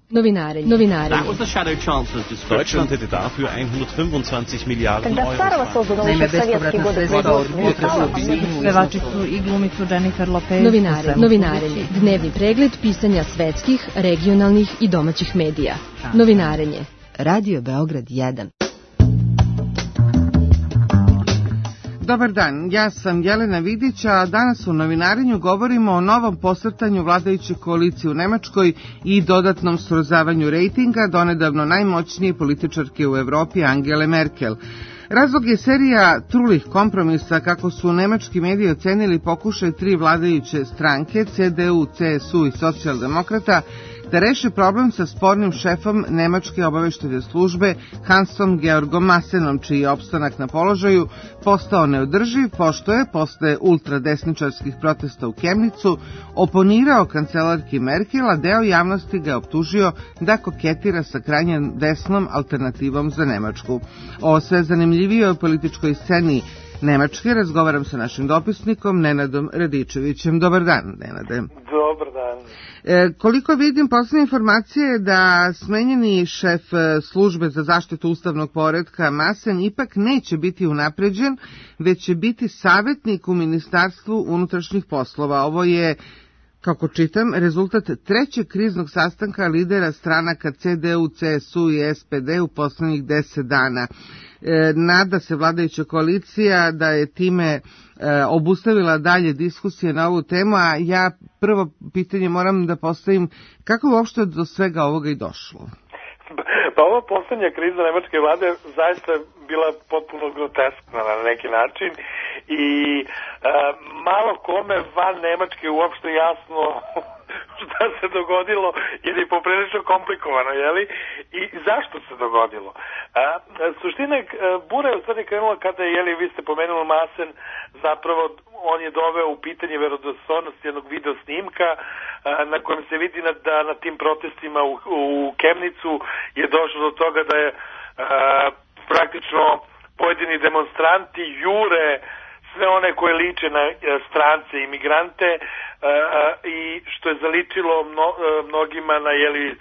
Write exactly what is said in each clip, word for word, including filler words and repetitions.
Novinarenje. Novinarenje. That was the shadow chancellor's description. Deutschland hätte dafür hundertfünfundzwanzig Milliarden Euro. Naime, bespovratna sredstva od potrebu pevačicu i glumicu Jennifer Lopez. Novinarenje. Novinarenje. Dnevni pregled pisanja svetskih, regionalnih i domaćih medija. Novinarenje. Radio Beograd jedan. Dobar dan, ja sam Jelena Vidić, a danas u novinarenju govorimo o novom posrtanju vladajuće koalicije u Nemačkoj i dodatnom srozavanju rejtinga donedavno najmoćnije političarke u Evropi Angele Merkel. Razlog je serija trulih kompromisa, kako su nemački mediji ocenili pokušaj tri vladajuće stranke, C D U, C S U i socijaldemokrata, da reše problem sa spornim šefom nemačke obaveštene službe Hansom Georgom Massenom, čiji je opstanak na položaju postao neodrživ, pošto je, posle ultradesničarskih protesta u Kemnicu, oponirao kancelarki Merkel, a deo javnosti ga je optužio da koketira sa krajnje desnom alternativom za Nemačku. O sve zanimljivijoj političkoj sceni Nemačke razgovaram sa našim dopisnikom Nenadom Radičevićem. Dobar dan, Nenade. Dobar dan. E, koliko vidim, poslednje informacije je da smenjeni šef službe za zaštitu ustavnog poretka Massen ipak neće biti unapređen, već će biti savjetnik u Ministarstvu unutrašnjih poslova. Ovo je, kako čitam, rezultat trećeg kriznog sastanka lidera stranaka C D U, C S U i S P D u poslednjih deset dana. E, nada se vladajuća koalicija da je time e, obustavila dalje diskusije na ovu temu, a ja prvo pitanje moram da postavim, kako uopšte do svega ovoga i došlo? Pa ova poslednja kriza nemačke vlade zaista bila potpuno groteskna na neki način i e, malo kome van Nemačke uopšte jasno šta se dogodilo, jer je poprilično komplikovano, jeli? I zašto se dogodilo? A, suština je, bura je u stvari krenula kada je, jeli, vi ste pomenuli Massen, zapravo on je doveo u pitanje verodostojnost jednog video snimka a, na kojem se vidi na, da na tim protestima u, u Kemnicu je došlo do toga da je a, praktično pojedini demonstranti jure sve one koje liče na strance i imigrante a, a, i što je zaličilo mno, a, mnogima na jeli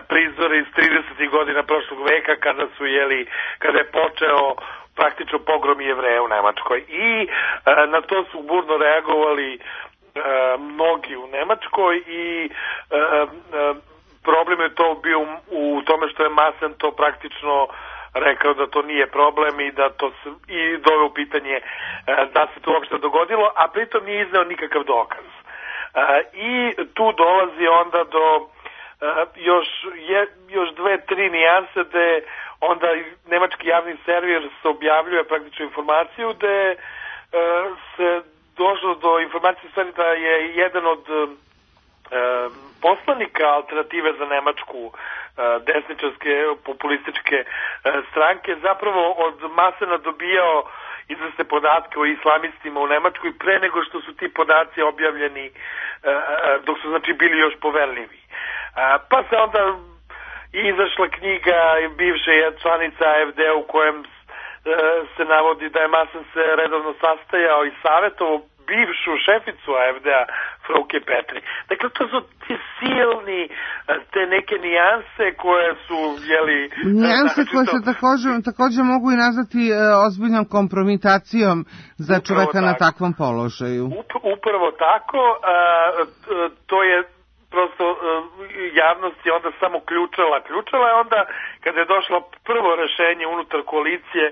prizore iz tridesetih godina prošlog veka kada su jeli kada je počeo praktično pogrom Jevreja u Nemačkoj i a, na to su burno reagovali a, mnogi u Nemačkoj i a, a, problem je to bio u, u tome što je Massen to praktično rekao da to nije problem i da to se, i doveo u pitanje e, da se to uopšte dogodilo, a pritom nije izneo nikakav dokaz. E, I tu dolazi onda do e, još, je, još dve, tri nijanse gde onda nemački javni servis se objavljuje praktično informaciju gde e, se došlo do informacije stvari da je jedan od e, poslanika alternative za Nemačku desničarske populističke stranke zapravo od Massena dobijao izvesne podatke o islamistima u Nemačkoj pre nego što su ti podaci objavljeni, dok su znači bili još poverljivi. Pa se onda izašla knjiga bivše članica A F D u kojem se navodi da je Massen se redovno sastajao i savjetovo bivšu šeficu A F D-a Frauke Petri. Dakle, to su ti silni, te neke nijanse koje su, jeli... Nijanse koje se također, također mogu i nazvati e, ozbiljnom kompromitacijom za čoveka na takvom položaju. Up, upravo tako, a, to je prosto javnost je onda samo ključala, ključala je onda kada je došlo prvo rešenje unutar koalicije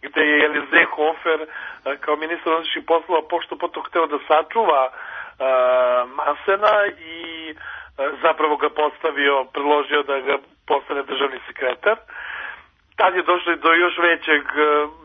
gde je Elize Hofer kao ministar unutrašnjih poslova pošto potom hteo da sačuva uh, Massena i uh, zapravo ga postavio, predložio da ga postane državni sekretar. Tad je došlo do još većeg uh,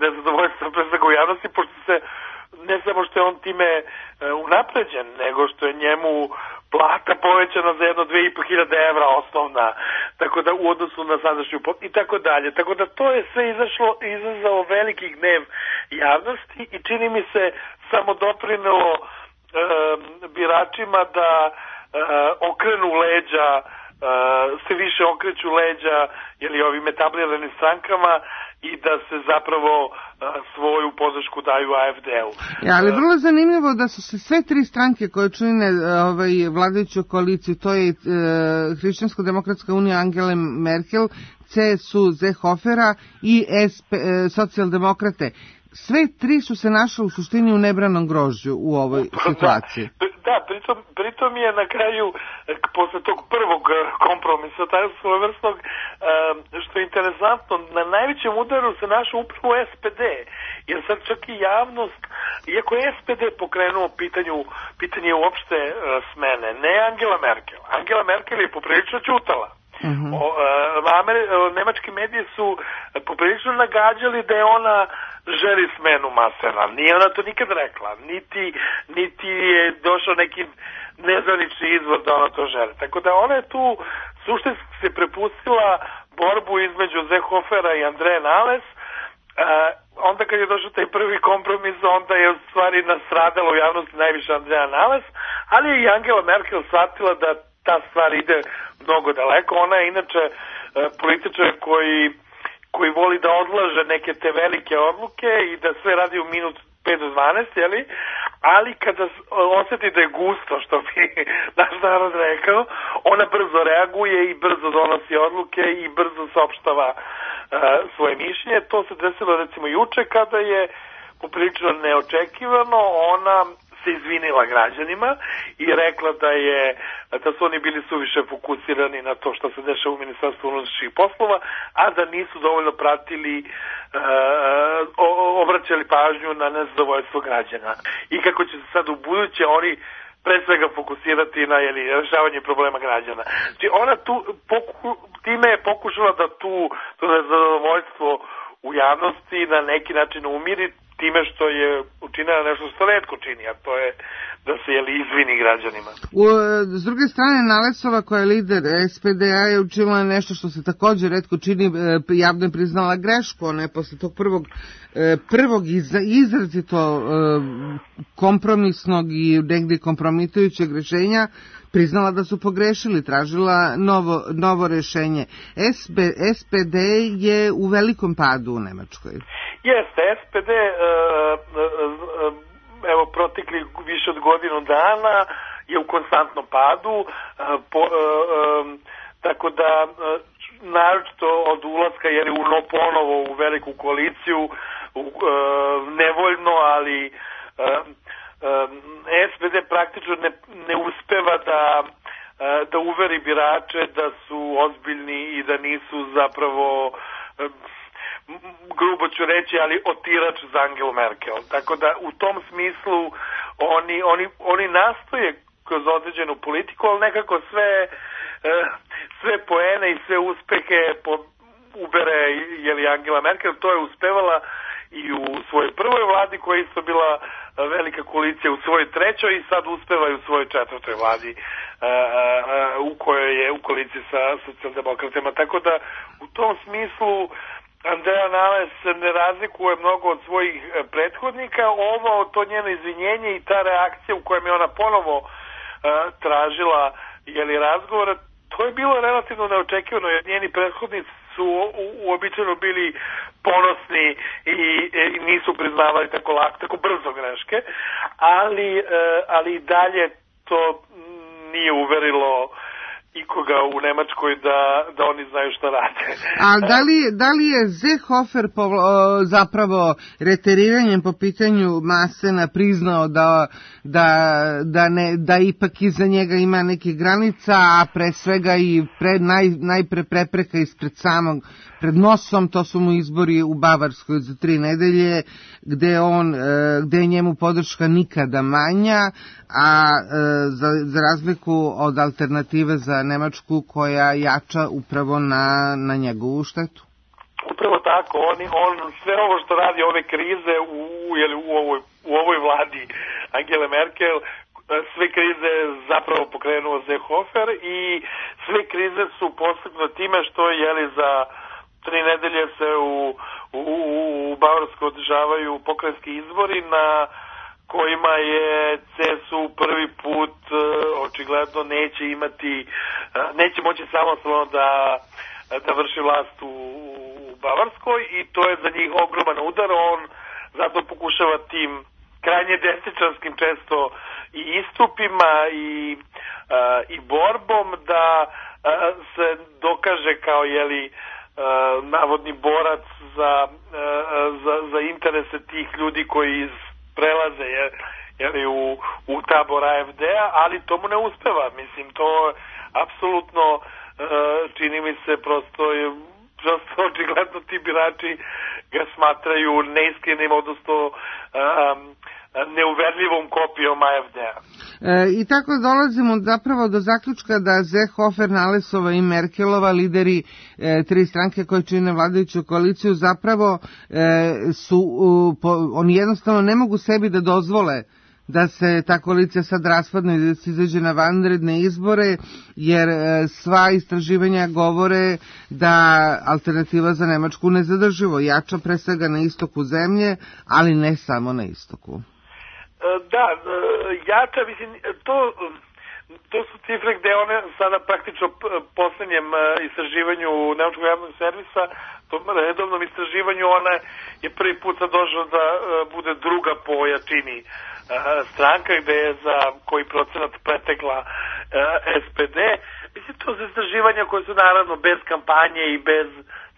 nezadovoljstva pre svega u javnosti, pošto se ne samo što je on time uh, unapređen, nego što je njemu plata povećana za jedno dve i po hiljade evra osnovna, tako da u odnosu na sadašnju i tako dalje. Tako da to je sve izašlo, izazvalo veliki gnev javnosti i čini mi se samo doprinelo e, biračima da e, okrenu leđa se više okreću leđa ili ovim etabliranim strankama i da se zapravo svoju podršku daju A F D-u. Ja, ali vrlo zanimljivo da su se sve tri stranke koje čine ovaj, vladajuću koaliciju, to je e, Hrišćansko-demokratska unija Angele Merkel, C S U Zehofera i S P, e, socijaldemokrate. Sve tri su se našle u suštini u nebranom grožđu u ovoj situaciji. Da, da pritom, pritom je na kraju, posle tog prvog kompromisa, taj svojevrsnog, što je interesantno, na najvećem udaru se našao upravo S P D, jer sad čak i javnost, iako je S P D pokrenuo pitanju, pitanje uopšte smene, ne Angela Merkel. Angela Merkel je poprilično ćutala. Uh-huh. O, Amer, nemački mediji su poprilično nagađali da je ona želi smenu Masena. Nije ona to nikad rekla, niti, niti je došao neki nezvanični izvor da ona to želi. Tako da ona je tu suštinski se prepustila borbu između Zehofera i Andreje Nales. E, onda kad je došao taj prvi kompromis, onda je u stvari nastradala u javnosti najviše Andreja Nales, ali je i Angela Merkel shvatila da ta stvar ide mnogo daleko. Ona je inače e, političar koji, koji voli da odlaže neke te velike odluke i da sve radi u minut pet do dvanaest, jeli? Ali kada osjeti da je gusto, što bi naš narod rekao, ona brzo reaguje i brzo donosi odluke i brzo saopštava e, svoje mišljenje. To se desilo recimo juče kada je poprilično neočekivano ona se izvinila građanima i rekla da je da su oni bili suviše fokusirani na to što se dešava u Ministarstvu unutrašnjih poslova, a da nisu dovoljno pratili e, obraćali pažnju na nezadovoljstvo građana. I kako će se sad u buduće oni pre svega fokusirati na jeli, rešavanje problema građana. Znači ona tu poku, time je pokušala da tu to nezadovoljstvo u javnosti na neki način umiri time što je učinila nešto što retko čini, a to je da se jeli izvini građanima. U, s druge strane, Nalesova koja je lider S P D-a je učinila nešto što se također retko čini, javno je priznala grešku, ona je posle tog prvog, prvog izrazito kompromisnog i negdje kompromitujućeg rešenja priznala da su pogrešili, tražila novo, novo rešenje. S P D je u velikom padu u Nemačkoj. Jeste, S P D uh, uh, evo protekli više od godinu dana je u konstantnom padu, uh, po, uh, um, tako da uh, naročito od ulaska jer je uno ponovo u veliku koaliciju uh, nevoljno, ali uh, um, S P D praktično ne, ne uspeva da uh, da uveri birače da su ozbiljni i da nisu zapravo uh, grubo ću reći, ali otirač za Angelu Merkel. Tako da u tom smislu oni, oni, oni nastoje kroz određenu politiku, ali nekako sve, sve poene i sve uspehe po, ubere jeli Angela Merkel. To je uspevala i u svojoj prvoj vladi koja je isto bila velika koalicija, u svojoj trećoj i sad uspeva i u svojoj četvrtoj vladi u kojoj je u koaliciji sa socijaldemokratima. Tako da u tom smislu Andreja Nales se ne razlikuje mnogo od svojih prethodnika. Ovo, to njeno izvinjenje i ta reakcija u kojem je ona ponovo uh, tražila jeli, razgovora, to je bilo relativno neočekivano, jer njeni prethodnici su uobičajeno bili ponosni i, i nisu priznavali tako lako, tako brzo greške, ali, uh, ali i dalje to nije uverilo ikoga u Nemačkoj da, da oni znaju šta rade. A da li, da li je Seehofer povla, zapravo reteriranjem po pitanju Masena priznao da, da, da, ne, da ipak iza njega ima neke granica, a pre svega i pred, naj, najpre prepreka ispred samog, pred nosom, to su mu izbori u Bavarskoj za tri nedelje, gde, on, gde je njemu podrška nikada manja, a za, za razliku od alternative za Nemačku koja jača upravo na, na njegovu štetu. Upravo tako, on, on sve ovo što radi ove krize u, jeli, u, ovoj, u ovoj vladi Angele Merkel, sve krize zapravo pokrenuo Seehofer i sve krize su postignute time što jeli za tri nedelje se u, u, u, u Bavarskoj održavaju pokrajinski izbori na kojima je C S U prvi put očigledno neće imati, neće moći samostalno da, da vrši vlast u, u Bavarskoj i to je za njih ogroman udar. On zato pokušava tim krajnje desničarskim često i istupima i, a, i borbom da a, se dokaže kao jeli a, navodni borac za, a, za, za interese tih ljudi koji prelaze je, jeli, u, u tabor A F D-a, ali to mu ne uspeva. Mislim, to apsolutno a, čini mi se prosto je prosto očigledno ti birači ga smatraju neiskrenim, odnosno um, neuverljivom kopijom A F D-a. E, I tako dolazimo zapravo do zaključka da Seehofer, Nalesova i Merkelova, lideri e, tri stranke koje čine vladajuću koaliciju, zapravo e, su, u, po, oni jednostavno ne mogu sebi da dozvole da se ta koalicija sad raspadne i da se izađe na vanredne izbore, jer sva istraživanja govore da alternativa za Nemačku nezadrživo jača, pre svega na istoku zemlje, ali ne samo na istoku. Da, jača, mislim, to, to su cifre gde one sada praktično poslednjem istraživanju Nemačkog javnog servisa, tom redovnom istraživanju, ona je prvi put sad došla da bude druga po jačini stranka, gde je za koji procenat pretekla S P D. Mislim, to su istraživanja koje su naravno bez kampanje i bez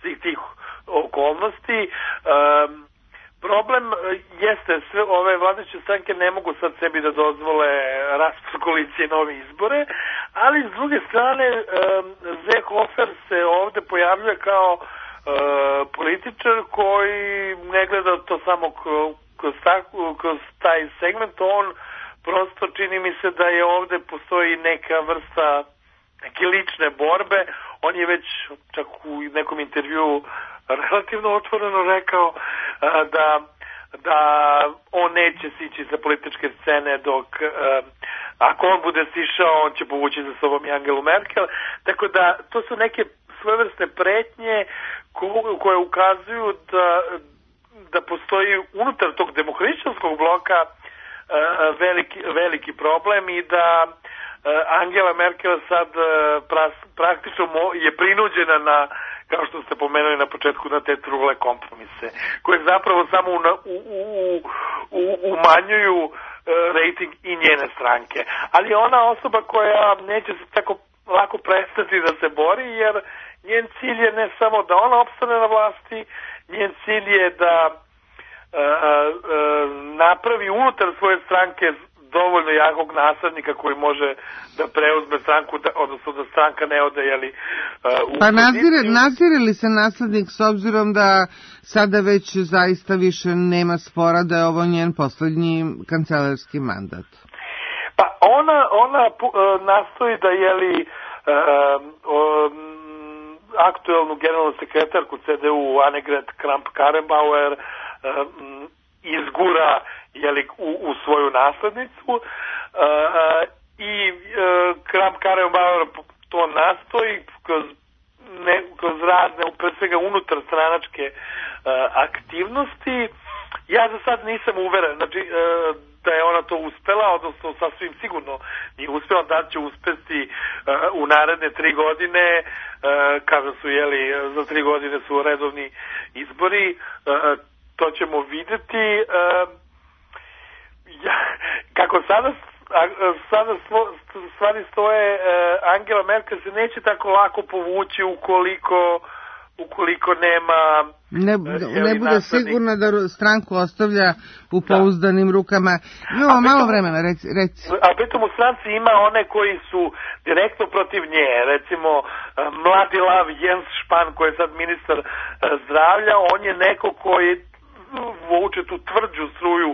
svih tih okolnosti. Um, problem jeste, sve ove vladajuće stranke ne mogu sad sebi da dozvole raspad koalicije nove izbore, ali s druge strane um, Seehofer se ovde pojavljuje kao uh, političar koji ne gleda to samo kao Kroz, tako, kroz taj segment, on prosto čini mi se da je ovde postoji neka vrsta neke lične borbe. On je već čak u nekom intervjuu relativno otvoreno rekao a, da, da on neće sići sa političke scene dok a, ako on bude sišao, on će povući za sobom i Angelu Merkel. Tako da to su neke svojevrsne pretnje ko, koje ukazuju da da postoji unutar tog demohrišćanskog bloka uh, veliki, veliki problem i da uh, Angela Merkel sad uh, pras, praktično mo, je prinuđena na, kao što ste pomenuli na početku, na te trule kompromise, koje zapravo samo u, u, u, u, umanjuju uh, rating i njene stranke. Ali ona osoba koja neće se tako lako prestati da se bori, jer njen cilj je ne samo da ona opstane na vlasti, njen cilj je da a, a, napravi unutar svoje stranke dovoljno jakog naslednika koji može da preuzme stranku, da, odnosno da stranka ne ode, jeli, u Pa nadzire, nadzire li se naslednik s obzirom da sada već zaista više nema spora da je ovo njen poslednji kancelarski mandat? Pa ona, ona nastoji da, jeli, a, a, aktuelnu generalnu sekretarku C D U Annegret Kramp-Karrenbauer um, izgura, jeli, u, u svoju naslednicu uh, i uh, Kramp-Karrenbauer to nastoji kroz, ne, kroz razne, pre svega unutar stranačke uh, aktivnosti. Ja za sad nisam uveren, znači uh, da je ona to uspela, odnosno sasvim sigurno nije uspela, da će uspesti uh, u naredne tri godine, uh, kada su, jeli, za tri godine su redovni izbori, uh, to ćemo videti. Uh, ja, kako sada, uh, sada stvo, stvari stoje, uh, Angela Merkel se neće tako lako povući ukoliko ukoliko nema ne, ne bude sigurna da stranku ostavlja u pouzdanim rukama. Imamo malo vremena, reci, reci. A pritom u stranci ima one koji su direktno protiv nje, recimo mladi lav Jens Spahn koji je sad ministar zdravlja, on je neko koji vuče tu tvrđu struju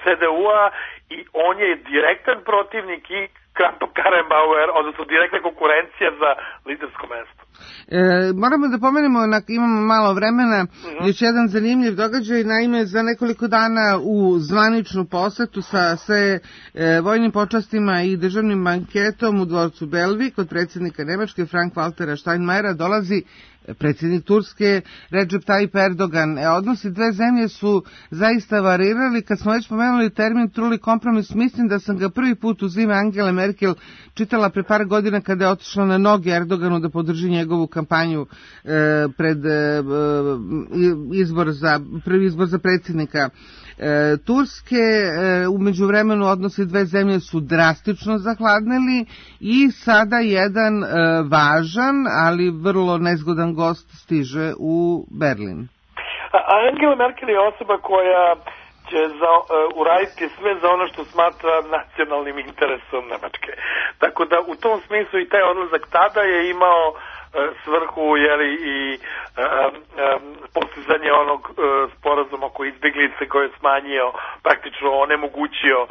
C D U-a i on je direktan protivnik i Kramp-Karrenbauer, odnosno direktna konkurencija za lidersko mesto. E, moramo da pomenemo, imamo malo vremena, mm-hmm. još jedan zanimljiv događaj, naime za nekoliko dana u zvaničnu posetu sa sve e, vojnim počastima i državnim banketom u dvorcu Belvi kod predsjednika Nemačke Frank-Waltera Steinmeiera dolazi predsjednik Turske Recep Tayyip Erdogan. E, odnosi dve zemlje su zaista varirali. Kad smo već pomenuli termin truli kompromis, mislim da sam ga prvi put uz ime Angele Merkel čitala pre par godina kada je otišla na noge Erdoganu da podrži njegovu kampanju e, pred e, izbor za, prvi izbor za predsjednika E, Turske. E, u međuvremenu odnosi dve zemlje su drastično zahladnili i sada jedan e, važan, ali vrlo nezgodan gost stiže u Berlin. Angela Merkel je osoba koja će za, uh, uraditi sve za ono što smatra nacionalnim interesom Nemačke. Tako da u tom smislu i taj odlazak tada je imao svrhu, jeli, i um, um, postizanje onog uh, sporazuma oko izbjeglice koji je smanjio, praktično onemogućio um,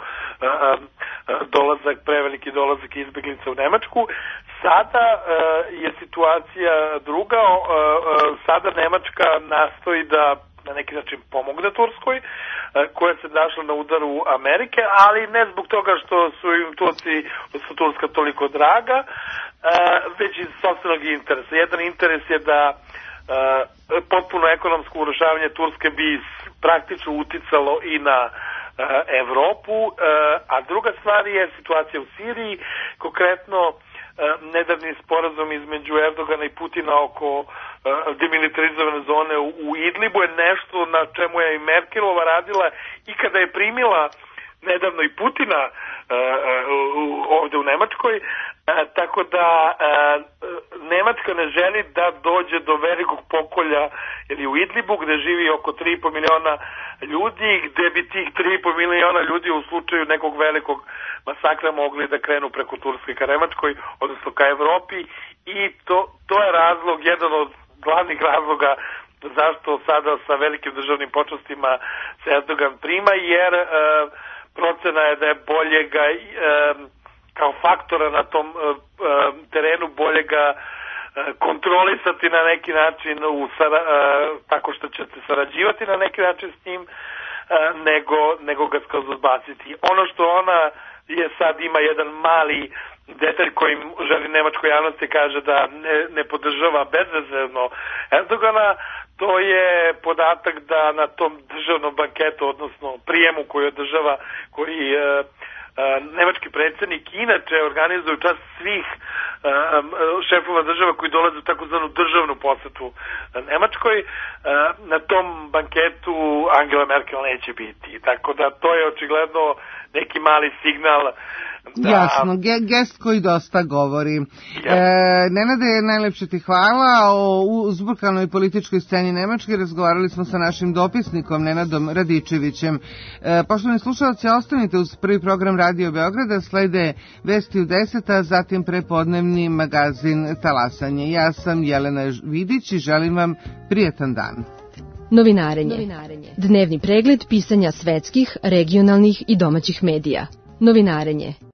dolazak, preveliki dolazak izbjeglica u Nemačku. Sada uh, je situacija druga, uh, uh, sada Nemačka nastoji da na neki način pomogne Turskoj, koja se našla na udaru Amerike, ali ne zbog toga što su im Turci, su Turska toliko draga, već iz sopstvenog interesa. Jedan interes je da potpuno ekonomsko urušavanje Turske bi praktično uticalo i na Evropu, a druga stvar je situacija u Siriji, konkretno nedavni sporazum između Erdogana i Putina oko demilitarizovane zone u Idlibu je nešto na čemu je i Merkelova radila i kada je primila nedavno i Putina ovde u Nemačkoj, tako da Nemačka ne želi da dođe do velikog pokolja ili u Idlibu gde živi oko tri i po miliona ljudi, gde bi tih tri i po miliona ljudi u slučaju nekog velikog masakra mogli da krenu preko Turske ka Nemačkoj, odnosno ka Evropi, i to, to je razlog, jedan od glavnih razloga zašto sada sa velikim državnim počastima se Erdogan prima, jer e, procena je da je bolje ga e, kao faktora na tom e, terenu bolje ga e, kontrolisati na neki način u, sara, e, tako što će se sarađivati na neki način s njim, e, nego, nego ga skroz odbaciti. Ono što ona je sad ima jedan mali detalj kojim želi nemačkoj javnosti kaže da ne, ne podržava bezrezervno Erdogana, to je podatak da na tom državnom banketu, odnosno prijemu koji održava, koji e, e, nemački predsjednik inače organizuje u čast svih e, šefova država koji dolaze u takozvanu državnu posetu Nemačkoj, e, na tom banketu Angela Merkel neće biti. Tako da to je očigledno neki mali signal. Da. Jasno, ge- gest koji dosta govori. Ja. E, Nenade, najlepše ti hvala. O uzburkanoj političkoj sceni Nemačke razgovarali smo sa našim dopisnikom Nenadom Radičevićem. E, poštovani slušalci, ostanite uz prvi program Radio Beograda, slede Vesti u deset, a zatim prepodnevni magazin Talasanje. Ja sam Jelena Vidić i želim vam prijetan dan. Novinarenje. Novinarenje. Dnevni pregled pisanja svetskih, regionalnih i domaćih medija. Novinarenje.